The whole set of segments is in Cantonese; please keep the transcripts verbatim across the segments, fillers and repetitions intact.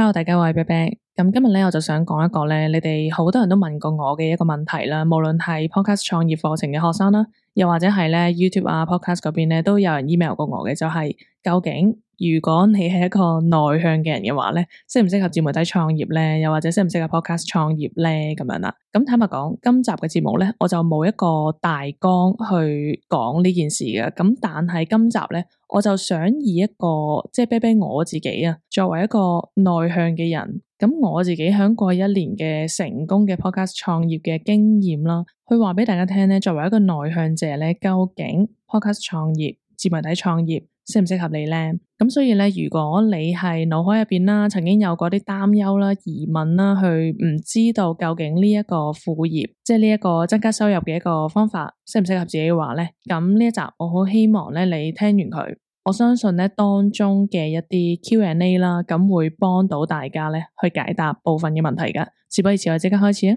Hello，大家好，我係啤啤。咁今日咧，我就想講一個咧，你哋好多人都問過我嘅一個問題啦。無論係 Podcast 創業課程嘅學生啦，又或者係咧 YouTube 啊 Podcast 嗰邊咧，都有人 email 過我嘅，就係、是、究竟如果你係一個內向嘅人嘅話咧，適唔適合自媒體創業咧？又或者適唔適合 Podcast 創業咧？咁樣啦。咁坦白講，今集嘅節目咧，我就冇一個大綱去講呢件事嘅。咁但係今集咧，我就想以一個即係啤啤我自己啊，作為一個內向嘅人，咁我自己喺過去一年嘅成功嘅 Podcast 創業嘅經驗啦，去話俾大家聽咧，作為一個內向者咧，究竟 Podcast 創業、自媒體創業適唔適合你咧？咁所以咧，如果你係腦海入邊啦，曾經有過啲擔憂啦、疑問啦，去唔知道究竟呢一個副業，即係呢一個增加收入嘅一個方法，適唔適合自己嘅話咧，咁呢一集我好希望咧，你聽完佢，我相信咧當中嘅一啲 Q and A 啦，咁會幫到大家咧去解答部分嘅問題噶。事不宜遲，我即刻開始啊！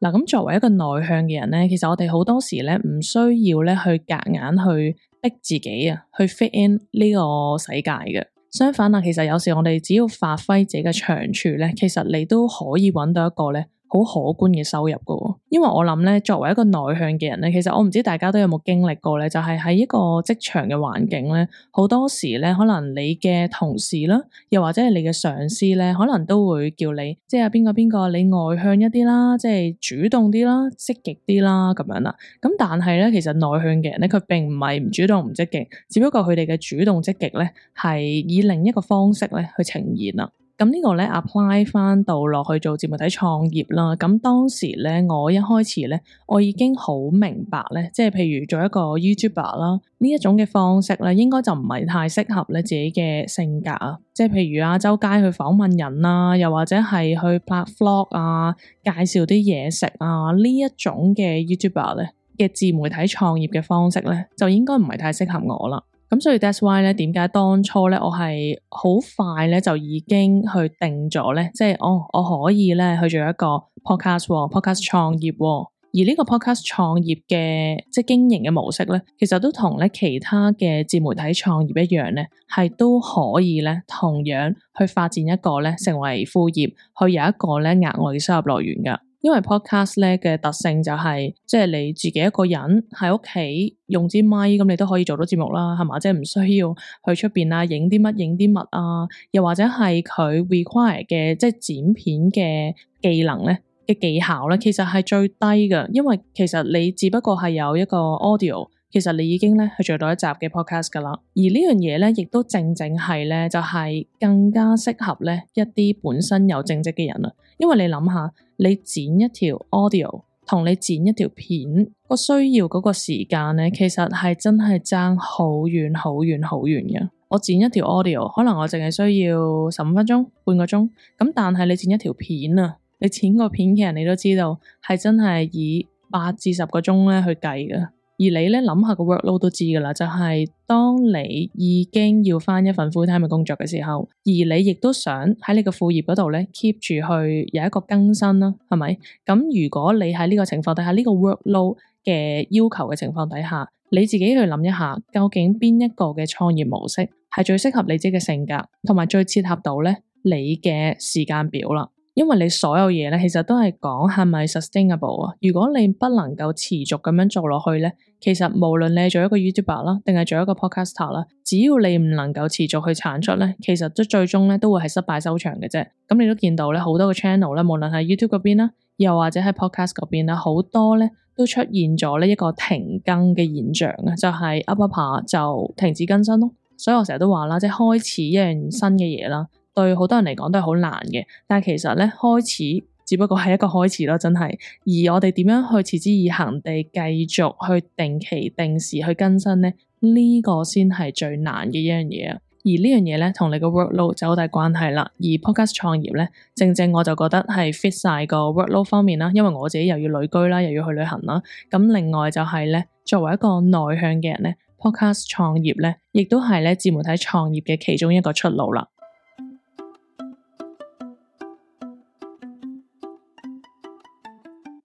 嗱，咁作為一個內向嘅人咧，其實我哋好多時咧唔需要咧去夾硬去逼自己啊，去 fit in 呢個世界嘅。相反啊，其實有時我哋只要發揮自己嘅長處咧，其實你都可以揾到一個咧好可觀嘅收入噶。因為我諗咧，作為一個內向嘅人咧，其實我唔知大家都有冇經歷過咧，就係喺一個職場嘅環境咧，好多時咧，可能你嘅同事啦，又或者係你嘅上司咧，可能都會叫你，即係邊個邊個，你外向一啲啦，即係主動啲啦，積極啲啦，咁樣啦。咁但係咧，其實內向嘅人咧，佢並唔係唔主動唔積極，只不過佢哋嘅主動積極咧，係以另一個方式咧去呈現啦。咁呢個咧 apply 翻到落去做自媒體創業啦。咁當時咧，我一開始咧，我已經好明白咧，即係譬如做一個 YouTuber 啦，呢一種嘅方式咧，應該就唔係太適合咧自己嘅性格啊。即係譬如啊，周街去訪問人啦，又或者係去拍 vlog 啊，介紹啲嘢食啊，呢一種嘅 YouTuber 咧嘅自媒體創業嘅方式咧，就應該唔係太適合我啦。咁所以 that's why 咧，點解當初咧我係好快咧就已經去定咗咧，即係哦，我可以咧去做一個 podcast，podcast 創業，而呢個 podcast 創業嘅即係經營嘅模式咧，其實都同咧其他嘅自媒體創業一樣咧，係都可以咧同樣去發展一個咧成為副業，去有一個咧額外嘅收入來源噶。因為 podcast 咧嘅特性就係、是，即係你自己一個人喺屋企用支咪，咁你都可以做到節目啦，係嘛？即係唔需要去出邊啊，影啲乜影啲乜啊，又或者係佢 require 嘅即係剪片嘅技能咧嘅技巧咧，其實係最低嘅，因為其實你只不過係有一個 audio， 其實你已經咧去做到一集嘅 podcast 噶啦。而呢樣嘢咧，亦都正正係咧，就係、是、更加適合咧一啲本身有正職嘅人啦。因為你諗下，你剪一條 audio 同你剪一條片個需要嗰個時間咧，其實係真係爭好遠好遠好遠嘅。我剪一條 audio， 可能我淨係需要十五分鐘、半個鐘，咁但係你剪一條片啊，你剪個片嘅人你都知道係真係以八至十個鐘咧去計嘅。而你咧諗下個 workload 都知噶啦，就係、是、當你已經要返一份 full time 嘅工作嘅時候，而你亦都想喺你個副業嗰度咧 keep 住去有一個更新啦，係咪？咁如果你喺呢個情況底下，呢、這個 workload 嘅要求嘅情況底下，你自己去諗一下，究竟邊一個嘅創業模式係最適合你自己嘅性格，同埋最切合到咧你嘅時間表啦。因為你所有嘢咧，其實都係講係咪 sustainable 啊？如果你不能夠持續咁樣做落去咧，其實無論你做一個 YouTuber 啦，定係做一個 Podcaster 啦，只要你唔能夠持續去產出咧，其實都最終咧都會係失敗收場嘅啫。咁你都見到咧，好多個 channel 咧，無論係 YouTube 嗰邊啦，又或者係 Podcast 嗰邊啦，好多咧都出現咗呢一個停更嘅現象啊，就係 up up 下就停止更新咯。所以我成日都話啦，即係開始一樣新嘅嘢啦，對好多人嚟講都係好難嘅，但係其實咧開始只不過係一個開始咯，真係。而我哋點樣去持之以恆地繼續去定期定時去更新咧？呢個先係最難嘅一樣嘢啊！而呢樣嘢咧同你個 workload 就好大關係啦。而 podcast 創業咧，正正我就覺得係 fit 晒個 workload 方面啦，因為我自己又要旅居啦，又要去旅行啦。咁另外就係咧，作為一個內向嘅人咧，podcast 創業咧，亦都係咧自媒體創業嘅其中一個出路啦。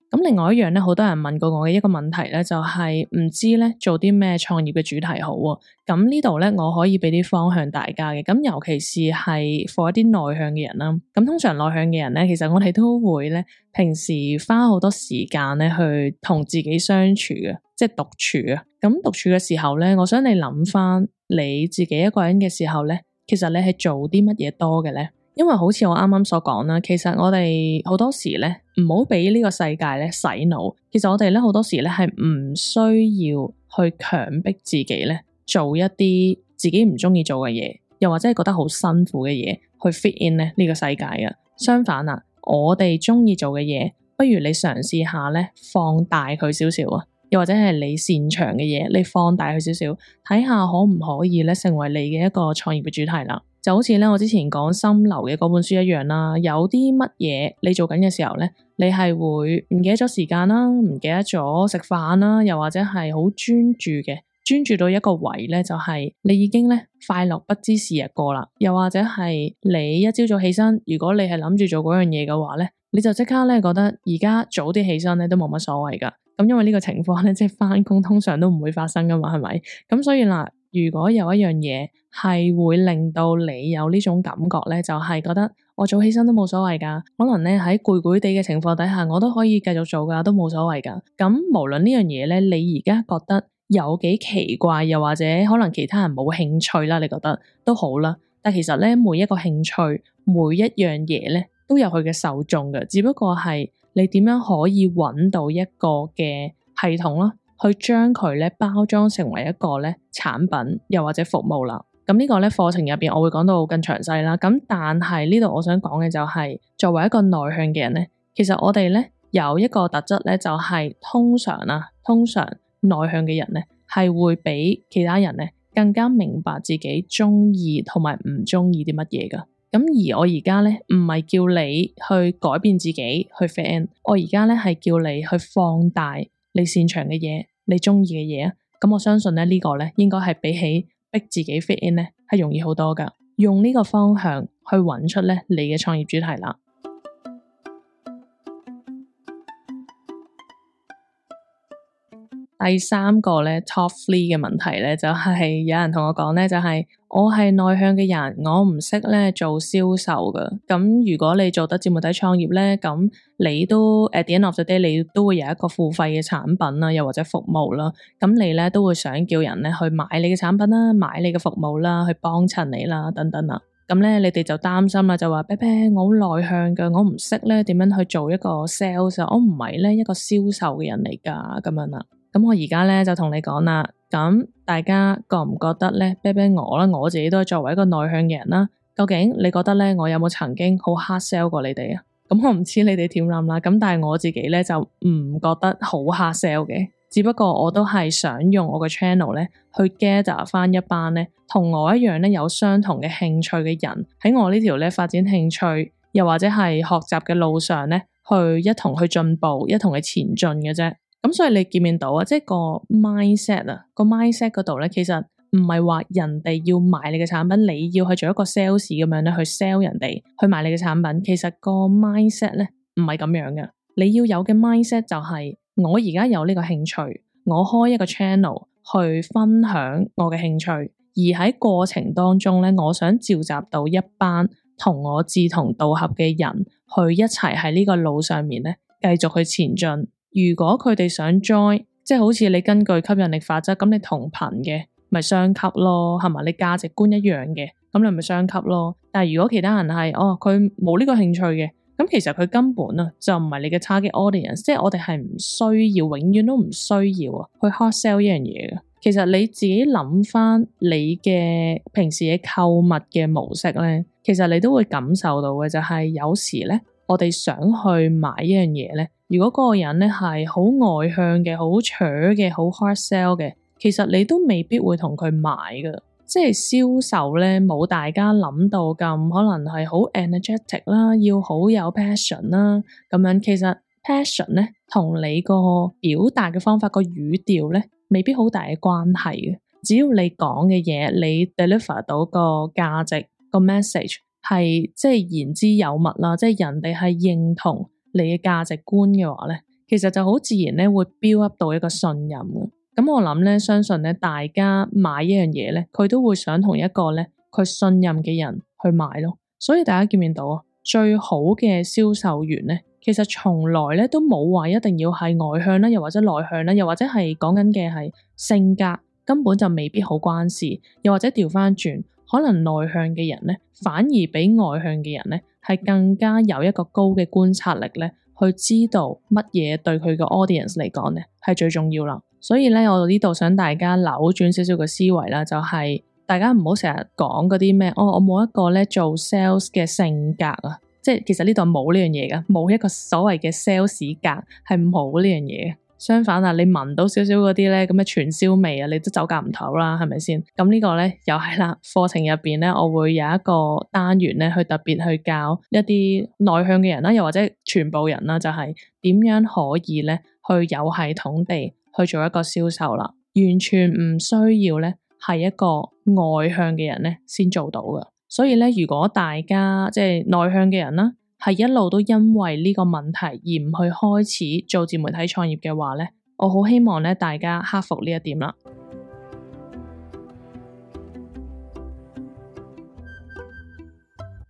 咁另外一樣咧，好多人問過我嘅一個問題咧，就係唔知咧做啲咩創業嘅主題好啊。咁呢度咧，我可以俾啲方向大家嘅。咁尤其是係 for 一啲內向嘅人啦。咁通常內向嘅人咧，其實我哋都會咧，平時花好多時間咧去同自己相處嘅，即係獨處啊。咁獨處嘅時候咧，我想你諗翻你自己一個人嘅時候咧，其實你係做啲乜嘢多嘅咧？因為好似我啱啱所講啦，其實我哋好多時咧唔好俾呢個世界咧洗腦。其實我哋咧好多時咧係唔需要去強迫自己咧做一啲自己唔中意做嘅嘢，又或者係覺得好辛苦嘅嘢去 fit in 咧呢個世界嘅。相反啊，我哋中意做嘅嘢，不如你嘗試下咧放大佢少少啊，又或者係你擅長嘅嘢，你放大佢少少，睇下可唔可以咧成為你嘅一個創業嘅主題啦。就好似咧我之前講心流嘅嗰本書一樣啦，有啲乜嘢你做緊嘅時候咧，你係會唔記得咗時間啦，唔記得咗食飯啦，又或者係好專注嘅，專注到一個位咧，就係你已經咧快樂不知時日過啦。又或者係你一朝早起身，如果你係諗住做嗰樣嘢嘅話咧，你就即刻咧覺得而家早啲起身咧都冇乜所謂噶。咁因為呢個情況咧，即係翻工通常都唔會發生噶嘛，係咪？咁所以嗱，如果有一樣嘢係會令到你有呢種感覺咧，就係覺得我早起身都冇所謂噶，可能咧喺攰攰地嘅情況底下，我都可以繼續做噶，都冇所謂噶。咁無論呢樣嘢咧，你而家覺得有幾奇怪，又或者可能其他人冇興趣啦，你覺得都好啦。但其實咧，每一個興趣，每一樣嘢咧，都有佢嘅受眾嘅，只不過係你點樣可以揾到一個嘅系統啦，去將佢咧包裝成為一個咧產品，又或者服務啦。咁呢個咧課程入邊我會講到更詳細啦。咁但係呢度我想講嘅就係，作為一個內向嘅人咧，其實我哋咧有一個特質咧，就係通常啊，通常內向嘅人咧係會比其他人咧更加明白自己中意同埋唔中意啲乜嘢噶。咁而我而家咧唔係叫你去改變自己去 fit in，我而家咧係叫你去放大你擅長嘅嘢，你中意嘅嘢啊。咁我相信咧呢個咧應該係比起逼自己 fit in 咧係容易好多噶。用呢個方向去揾出咧你嘅創業主題啦。第三個咧 top three 嘅問題咧就係有人同我講咧，就係我係內向嘅人，我唔識咧做銷售噶。咁如果你做得自媒體創業咧，咁你都 at the end of the day 你都會有一個付費嘅產品啦，又或者服務啦。咁你咧都會想叫人咧去買你嘅產品啦，買你嘅服務啦，去幫襯你啦，等等啦。咁咧你哋就擔心啦，就話啤啤我好內向噶，我唔識咧點樣去做一個 sales，我唔係咧一個銷售嘅人嚟噶，咁樣啦。咁我而家咧就同你講啦，咁大家覺唔覺得咧？啤啤我啦，我自己都係作為一個內向嘅人啦，究竟你覺得咧，我有冇曾經好 hard sell 過你哋啊？咁我唔知你哋點諗啦，咁但係我自己咧就唔覺得好 hard sell 嘅，只不過我都係想用我嘅 channel 咧去 gather 翻一班咧同我一樣咧有相同嘅興趣嘅人，喺我呢條咧發展興趣又或者係學習嘅路上咧，去一同去進步，一同去前進嘅啫。咁所以你見唔見到啊？即係個 mindset 啊，個 mindset 嗰度咧，其實唔係話人哋要買你嘅產品，你要去做一個 sales 咁樣咧去 sell 人哋去買你嘅產品。其實個 mindset 咧唔係咁樣嘅。你要有嘅 mindset 就係我而家有呢個興趣，我開一個 channel 去分享我嘅興趣，而喺過程當中咧，我想召集到一班同我志同道合嘅人去一齊喺呢個路上面咧繼續去前進。如果佢哋想 join， 即係好似你根據吸引力法則，咁你同頻嘅咪相吸咯，係咪？你價值觀一樣嘅，咁你咪相吸咯。但係如果其他人係哦，佢冇呢個興趣嘅，咁其實佢根本啊就唔係你嘅 target audience，即係我哋係唔需要，永遠都唔需要啊去 hard sell 呢樣嘢嘅。其實你自己諗翻你嘅平時嘅購物嘅模式咧，其實你都會感受到嘅就係有時咧，我哋想去買一樣嘢咧。如果嗰個人咧係好外向嘅、好搶嘅、好 hard sell 嘅，其實你都未必會同佢買㗎。即係銷售咧，冇大家諗到咁可能係好 energetic 啦，要好有 passion 啦咁樣。其實 passion 咧同你個表達嘅方法、個語調咧，未必好大嘅關係嘅。只要你講嘅嘢，你 deliver 到個價值、個 message 係即係言之有物啦，即係人哋係認同你嘅價值觀嘅話咧，其實就好自然咧會 build up 到一個信任嘅。咁我諗咧，相信咧大家買一樣嘢咧，佢都會想同一個咧佢信任嘅人去買咯。所以大家見唔見到啊？最好嘅銷售員咧，其實從來咧都冇話一定要係外向啦，又或者內向啦，又或者係講緊嘅係性格，根本就未必好關事。又或者調翻轉，可能內向嘅人咧，反而比外向嘅人咧係更加有一個高嘅觀察力咧，去知道乜嘢對佢個 audience 嚟講咧係最重要啦。所以咧，我呢度想大家扭轉少少嘅思維啦，就係、是、大家唔好成日講嗰啲咩，哦，我冇一個咧做 sales 嘅性格啊，即係其實呢度冇呢樣嘢噶，冇一個所謂嘅 sales 格，係冇呢樣嘢。相反啊，你聞到少少嗰啲咧咁嘅傳銷味啊，你都走夾唔唞啦，係咪先？咁呢個咧又係啦，課程入邊咧，我會有一個單元咧，去特別去教一啲內向嘅人啦，又或者全部人啦，就係、是、點樣可以咧去有系統地去做一個銷售啦，完全唔需要咧係一個外向嘅人咧先做到嘅。所以咧，如果大家即係內向嘅人啦，係一路都因為呢個問題而唔去開始做自媒體創業嘅話咧，我好希望咧大家克服呢一點啦。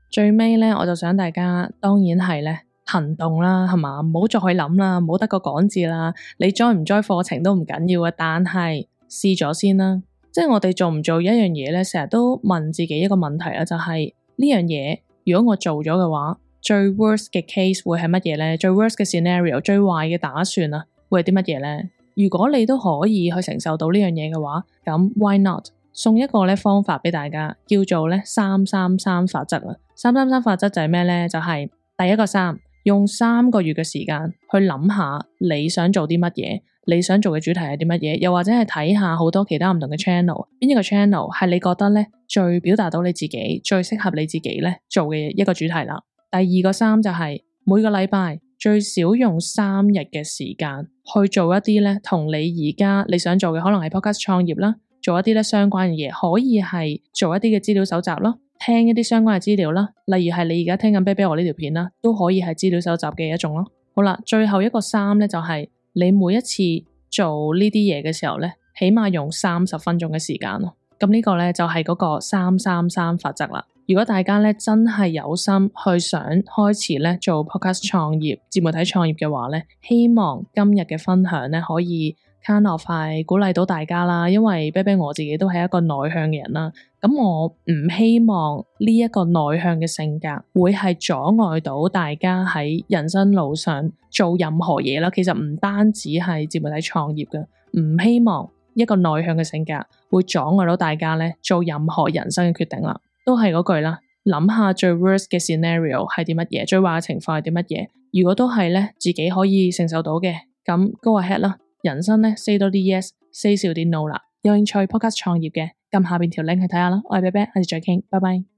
最尾咧，我就想大家當然係咧行動啦，係嘛？唔好再去諗啦，唔好得個講字啦。你 join 唔 join 課程都唔緊要嘅，但係試咗先啦。即係我哋做唔做一樣嘢咧，成日都問自己一個問題啦，就係呢樣嘢如果我做咗嘅話，最 worst 嘅 case 會係乜嘢咧？最 worst 嘅 scenario， 最壞嘅打算啊，會係啲乜嘢咧？如果你都可以去承受到呢樣嘢嘅話，咁 why not？送一個咧方法俾大家，叫做咧三三三法則啦。三三三法則就係咩咧？就係、是、第一個三，用三個月嘅時間去諗下你想做啲乜嘢，你想做嘅主題係啲乜嘢，又或者係睇下好多其他唔同嘅 channel， 邊一個 channel 係你覺得咧最表達到你自己，最適合你自己咧做嘅一個主題啦。第二個三就係、是、每個禮拜最少用三日嘅時間去做一啲咧同你而家你想做嘅，可能係 podcast 創業啦，做一啲咧相關嘅嘢，可以係做一啲嘅資料搜集啦，聽一啲相關嘅資料啦，例如係你而家聽緊啤啤我呢條片啦，都可以係資料搜集嘅一種咯。好啦，最後一個三咧就係、是、你每一次做呢啲嘢嘅時候咧，起碼用三十分鐘嘅時間咯。咁呢個咧就係、是、嗰個三三三法則啦。如果大家咧真係有心去想開始咧做 podcast 創業、自媒體創業嘅話咧，希望今日嘅分享咧可以 kind of 係鼓勵到大家啦。因為啤啤我自己都係一個內向嘅人啦，咁我唔希望呢一個內向嘅性格會係阻礙到大家喺人生路上做任何嘢啦。其實唔單止係自媒體創業嘅，唔希望一個內向嘅性格會阻礙到大家咧做任何人生嘅決定啦。都係嗰句啦，諗下最 worst 嘅 scenario 係啲乜嘢，最壞嘅情況係啲乜嘢。如果都係咧自己可以承受到嘅，咁 go ahead 啦。人生咧 say 多啲 yes，say 少啲 no 啦。有興趣 podcast 創業嘅，撳下邊條 link 去睇下啦。我係啤啤，下次再傾，拜拜。